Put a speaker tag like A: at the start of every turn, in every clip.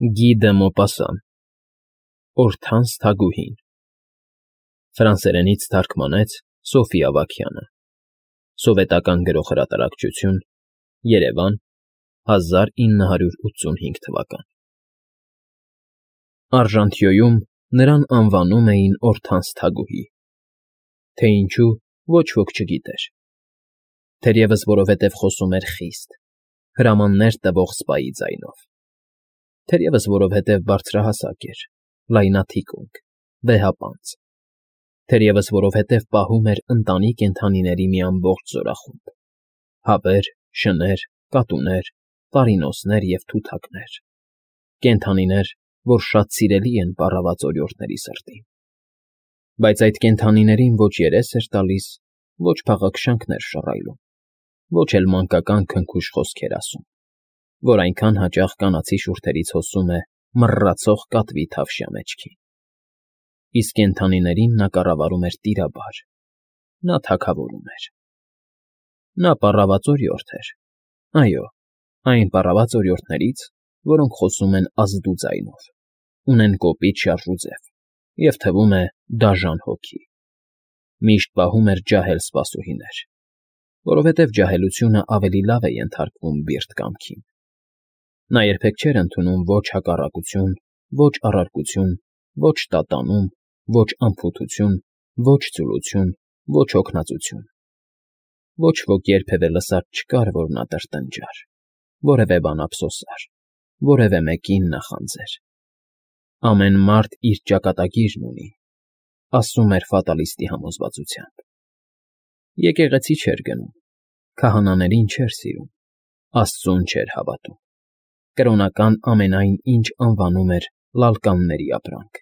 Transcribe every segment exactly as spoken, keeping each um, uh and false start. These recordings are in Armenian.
A: Գի դը Մոպասան Օրթանս թագուհին Ֆրանսերենից թարգմանեց Սոֆյա Ավագյանը Սովետական գրող֊հրատարակչություն Երևան հազար ինը հարյուր ութսունհինգ թվական Արժանտյոյում նրան անվանում էին Օրթանս թագուհի, թե ինչու ոչ ոք չգիտեր, թերևս որովհետև խոսում էր խիստ, հրամաններ տվող սպայի ձայնով, թերևս որովհետև բարձրահասակ էր, լայնաթիկունք, վեհապանծ, թերևս որովհետև պահում էր ընտանի կենդանիների մի ամբողջ զորախումբ, հավեր, շներ, կատուներ, տարինոսներ և թութակներ, կենդանիներ, որ շատ սիրելի են պառաված օրիորդների սրտին, բայց այդ կենդանիներին ոչ երես էր տալիս, ոչ փաղաքշանքներ շռայլում, ոչ էլ մանկական քնքուշ խոսքեր ասում, որ այնքան հաճախ կանացի շուրթերից հոսում է մռռացող կատվի թավշյա մեջքին, իսկ կենդանիներին նա կառավարում էր տիրաբար, նա թագավորում էր, նա պառաված օրիորդ էր, այո, այն պառաված օրիորդներից, որոնք խոսում են ազդու ձայնով, ունեն կոպիտ շարժուձև և թվում է դաժան հոգի, միշտ պահում էր ջահել սպասուհիներ, որովհետև ջահելությունը ավելի լավ է ենթարկվում բիրտ կամքին, նա երբեք չէր ընդունում ոչ հակառակություն, ոչ առարկություն, ոչ տատանում, ոչ անփութություն, ոչ ծուլություն, ոչ հոգնածություն, ոչ ոք երբևէ լսած չկար, որ նա տրտնջար, որևէ բան ափսոսար, որևէ մեկին նախանձեր, ամեն մարդ իր ճակատագիրն ունի, ասում էր ֆատալիստի համոզվածությամբ, եկեղեցի չէր գնում, քահանաներին չէր սիրում, Աստծուն չէր հավատում, կրոնական ամենայն ինչ անվանում էր լալկանների ապրանք,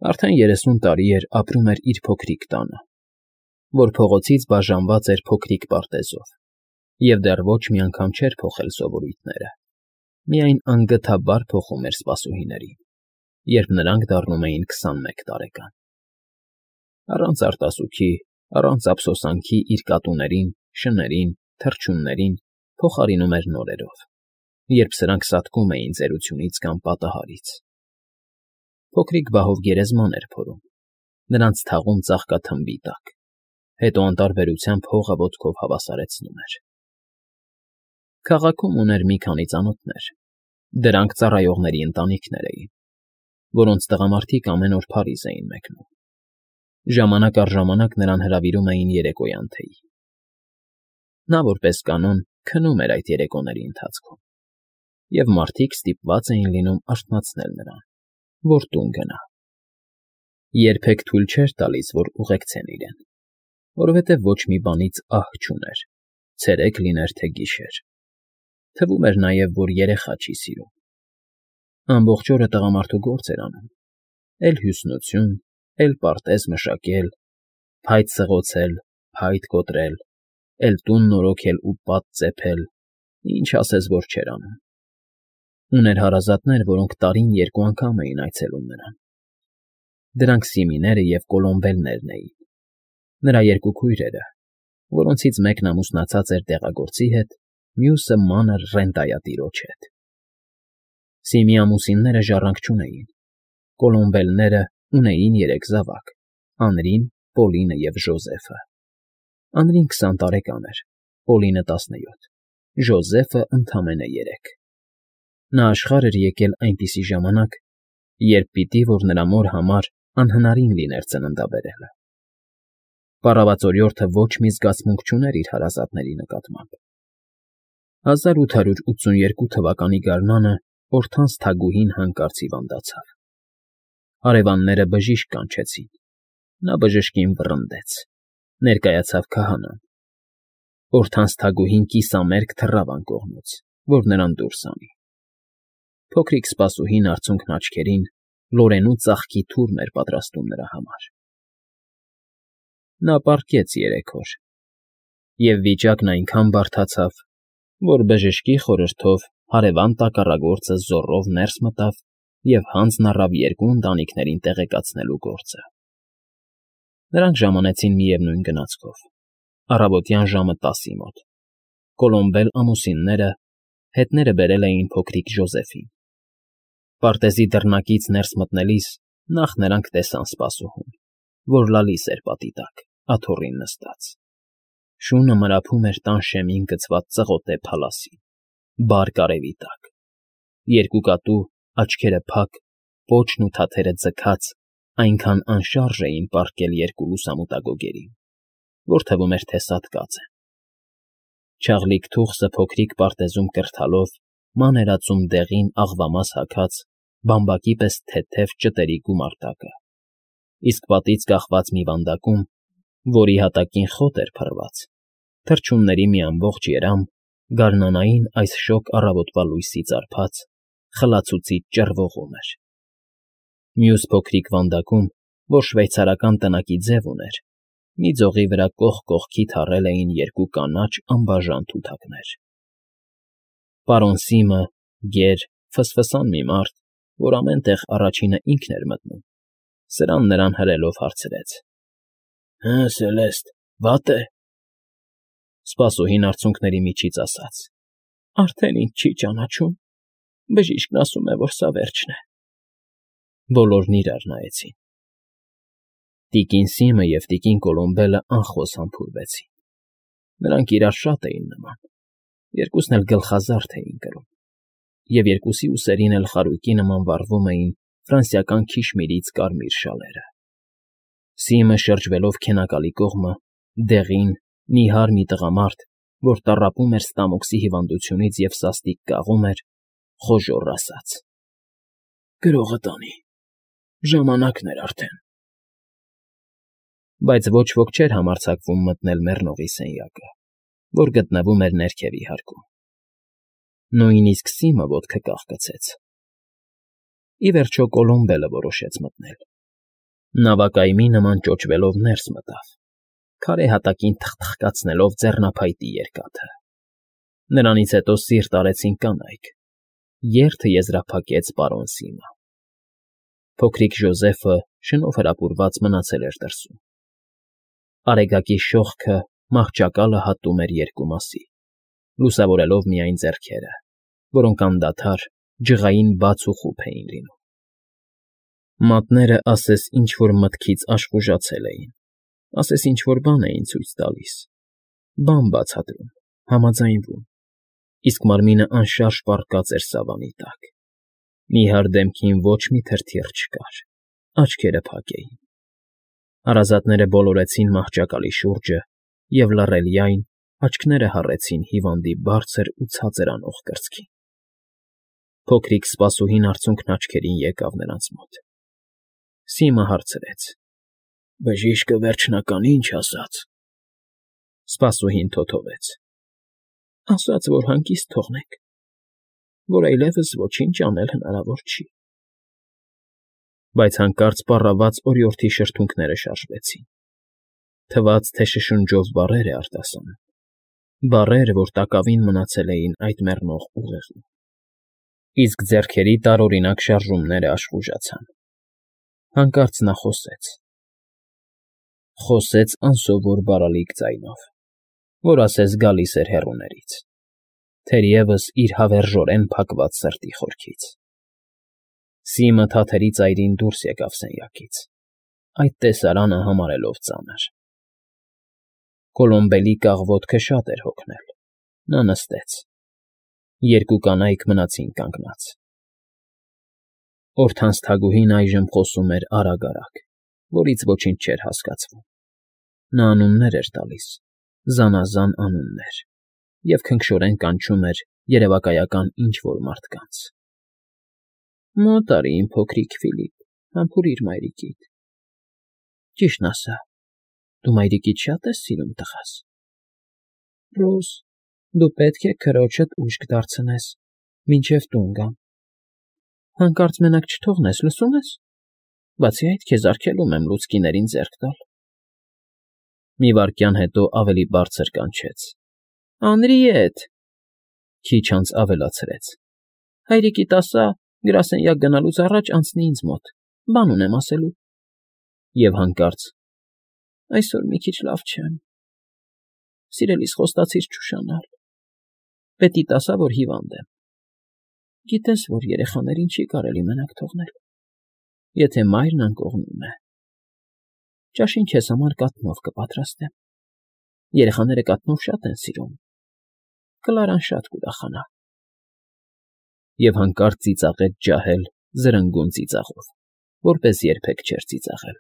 A: արդեն երեսուն տարի էր ապրում էր իր փոքրիկ տանը, որ փողոցից բաժանված էր փոքրիկ պարտեզով և դեռ ոչ մի անգամ չէր փոխել սովորույթները, միայն անգթաբար փոխում էր սպասուհիներին, երբ նրանք դառնում էին քսանմեկ տարեկան, առանց արտասուքի, առանց ափսոսանքի իր կատուներին, շներին, թռչուններին փոխարինում էր նորերով, երբ սրանք սատկում էին ծերությունից կամ պատահարից, փոքրիկ բահով գերեզման էր փորում, նրանց թաղում ծաղկաթմբի տակ, հետո անտարբերությամբ հողը ոտքով հավասարեցնում էր, քաղաքում ուներ մի քանի ծանոթներ, դրանք ծառայողների ընտանիքներ էին, որոնց տղամարդիկ ամեն օր Փարիզ էին մեկնում, ժամանակ առ ժամանակ նրան հրավիրում էին երեկոյան թեյի, նա որպես կանոն քնում էր այդ երեկոների ընթացքում, և մարդիկ ստիպված էին լինում արթնացնել նրան, որ տուն գնա, երբեք թույլ չէր տալիս, որ ուղեկցեն իրեն, որովհետև ոչ մի բանից ահ չուներ, ցերեկ լիներ, թե գիշեր, թվում էր նաև, որ երեխա չի սիրում, ամբողջ օրը տղամարդու գործ էր անում, էլ հյուսնություն, էլ պարտեզ մշակել, փայտ սղոցել, փայտ կոտրել, էլ տուն նորոգել ու պատ ծեփել, ինչ ասես, որ չէր անում, ուներ հարազատներ, որոնք տարին երկու անգամ էին այցելում նրան, դրանք Սիմիները և Կոլոմբելներն էին, նրա երկու քույրերը, որոնցից մեկն ամուսնացած էր դեղագործի հետ, մյուսը մանր ռենտայատիրոջ հետ, Սիմի ամուսինները ժառանգ չունեին, Կոլոմբելները ունեին երեք զավակ, Անրին, Պոլինը և Ժոզեֆը, Անրին քսան տարեկան էր, Պոլինը տասնյոթ, Ժոզեֆը ընդամենը երեք, նա աշխարհ էր եկել այնպիսի ժամանակ, երբ պիտի, որ նրա մոր համար անհնարին լիներ ծննդաբերելը, պառաված օրիորդը ոչ մի զգացմունք չուներ իր հարազատների նկատմամբ, հազար ութ հարյուր ութսունութ երկու թվականի գարնանը Օրթանս թագուհին հանկարծ հիվանդացավ, հարևանները բժիշկ կանչեցին, նա բժշկին վռնդեց, ներկայացավ քահանան, Օրթանս թագուհին կիսամերկ թռավ անկողնուց, որ նրան դուրսանի, փոքրիկ սպասուհին արցունքն աչքերին լորենու ծաղկի թուրմ էր պատրաստում նրա համար, նա պառկեց երեք օր, և վիճակն այնքան բարդացավ, որ բժշկի խորհրդով հարևան տակառագործը զոռով ներս մտավ և հանձն առավ երկու ընտանիքներին տեղեկացնելու գործը, նրանք ժամանեցին միևնույն գնացքով, առավոտյան ժամը տասի մոտ, Կոլոմբել ամուսինները հետները բերել էին փոքրիկ Ժոզեֆին, Պարտեզի դռնակից ներս մտնելիս նախ նրանք տեսան սպասուհուն, որ լալիս էր պատի տակ, աթոռին նստած. շունը մրափում էր տան շեմին գցված ծղոտե փալասին, բարկ արևի տակ, երկու կատու, աչքերը փակ, պոչն ու թաթերը ձգած, այնքան անշարժ էին պառկել երկու լուսամուտագոգերին, որ թվում էր, թե սատկած են. չաղլիկ թուխսը փոքրիկ պարտեզում կրթալով մաներածում դեղին աղվամաս հագած, բամբակի պես թեթև ճտերի գումարտակը, իսկ պատից կախված մի վանդակում, որի հատակին խոտ էր փռված, թռչունների մի ամբողջ երամ, գարնանային այս շոգ առավոտվա լույսի արբած, խլացուցիչ ճռվողում էր. մյուս փոքրիկ վանդակում, որ շվեյցարական տնակի ձև ուներ, մի ձողի վրա կողք կողքի թառել էին երկու կանաչ անբաժան թութակներ. պարոն Սիմը, գեր, ֆսֆսան մի մարդ, որ ամեն տեղ առաջինը ինքն էր մտնում, սրան նրան հրելով հարցրեց. ֊ Հը, Սելեստ, վատ է՞։ Սպասուհին արցունքների միջից ասաց. ֊ Արդեն ինձ չի ճանաչում, բժիշկն ասում է, որ սա վերջն է։ Բոլորն իրար նայեցին. տիկին Սիմը և տիկին Կոլոմբելը անխոս համբուրվեցին. նրանք իրար շատ էին նման, երկուսն էլ գլխազարդ էին կրում, և երկուսի ուսերին էլ խարույկի նման վառվում էին ֆրանսիական քիշմիրից կարմիր շալերը։ Սիմը շրջվելով քենակալի կողմը, դեղին, նիհար մի տղամարդ, որ տառապում էր ստամոքսի հիվանդությունից և սաստիկ կաղում էր, խոժոռ ասաց. ֊ Գրողը տանի, ժամանակն էր արդեն։ Բայց ոչ ոք չէր համարձակվում մտնել մեռնողի սենյակը, որ գտնվում էր ներքևի հարկում. նույնիսկ Սիմը ոտքը կախկցեց։ Ի վերջո Կոլոմբելը որոշեց մտնել. նավակայմի նման ճոճվելով ներս մտավ, քարե հատակին թխթխկացնելով ձեռնափայտի երկաթը։ Նրանից հետո սիրտ արեցին կանայք, երթը եզրափակեց պարոն Սիմը։ Փոքրիկ Ժոզեֆը շնով հրապուրված մնացել էր դրսում։ Արեգակի շողքը մահճակալը հատում էր երկու մասի, լուսավորելով միայն ձեռքերը, որոնք անդադար ջղային բաց ու խուփ էին լինում։ Մատները ասես ինչ֊որ մտքից աշխուժացել էին, ասես ինչ֊որ բան էին ցույց տալիս, բան բացատրում, համաձայնվում, իսկ մարմինը անշարժ պառկած էր սավանի տակ։ Նիհար դեմքին ոչ մի թրթիռ չկար, աչքերը փակ էին։ Հարազատները բոլորեցին մահճակալի շուրջը և լռելիայն աչքները հառեցին հիվանդի բարձր ու ցածր անող կրծքին։ Փոքրիկ սպասուհին արցունքն աչքերին եկավ նրանց մոտ։ Սիմը հարցրեց. ֊ Բժիշկը վերջնական ինչ ասաց։ Սպասուհին թոթովեց. ֊ Ասաց, որ հանգիստ թողնենք, որ այլևս ոչինչ անել հնարավոր չի։ Բայց հանկարծ պառաված օրիորդի շրթունքները շարժվեցին, թվաց, թե շշնջով բառեր է արտասանում, բառեր, որ տակավին մնացել էին այդ մեռնող ուղեղում, իսկ ձեռքերի տարօրինակ շարժումները աշխուժացան։ Հանկարծ նա խոսեց։ Խոսեց անսովոր բարալիկ ձայնով, որ ասես գալիս էր հեռուներից, թերևս իր հավերժորեն փակված սրտի խորքից։ Սիմը թաթերի ծայրին դուրս եկավ սենյակից, այդ տեսարանը համարելով ծանր։ Կոլոմբելի կաղ֊ոտքը շատ էր հոգնել, նա նստեց։ Երկու կանայք մնացին կանգնած։ Օրթանց թագուհին այժմ խոսում էր արագ֊արագ, որից ոչինչ չէր հասկացվում։ Նա անուններ էր տալիս, զանազան անուններ, և քնքշորեն կանչում էր երևակայական ինչ֊որ մարդկանց. Մոտ արի, իմ փոքրիկ Ֆիլիպ, համբուրիր մայրիկիդ։ Ճիշտն ասա, դու մայրիկիդ շա՞տ ես սիրում, տղաս։ Ռոզ, դու պետք է քրոջդ ուշք դարձնես, մինչև տուն գամ։ Հանկարծ մենակ չթողնես, լսո՞ւմ ես։ Բացի այդ, քեզ արգելում եմ լուցկիներին ձեռք տալ։ Մի վայրկյան հետո ավելի բարձր կանչեց. Անրիետ… Քիչ անց ավելացրեց. Հայրիկիդ ասա, գրասենյակ գնալուց առաջ անցնի ինձ մոտ, բան ունեմ ասելու։ Եվ հանկարծ. Այսօր մի քիչ լավ չեմ։ Սիրելիս, խոստացիր չուշանալ։ Պետիդ ասա, որ հիվանդ եմ։ Գիտես, որ երեխաներին չի կարելի մենակ թողնել, եթե մայրն անկողնում է։ Ճաշին քեզ համար կաթնով կպատրաստեմ. երեխաները կաթնով շատ են սիրում, Կլարան շատ կուրախանա։ Եվ հանկարծ ծիծաղեց ջահել զրնգուն ծիծաղով, որպես երբեք չէր ծիծաղել։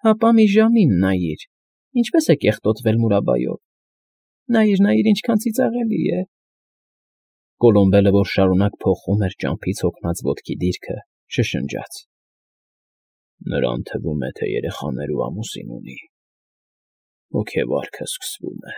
A: Հապա մի ժամին նայիր, ինչպես է կեղտոտվել Մուրաբայով, նայիր, նայիր, ինչքան ծիծաղելի է… Կոլոմբելը, որ շարունակ փոխում էր ճամփից հոգնած ոտքի դիրքը, շշնջաց. Նրան թվում է, թե երեխաներ ու ամուսին ունի, հոգեվարքը սկսվում է։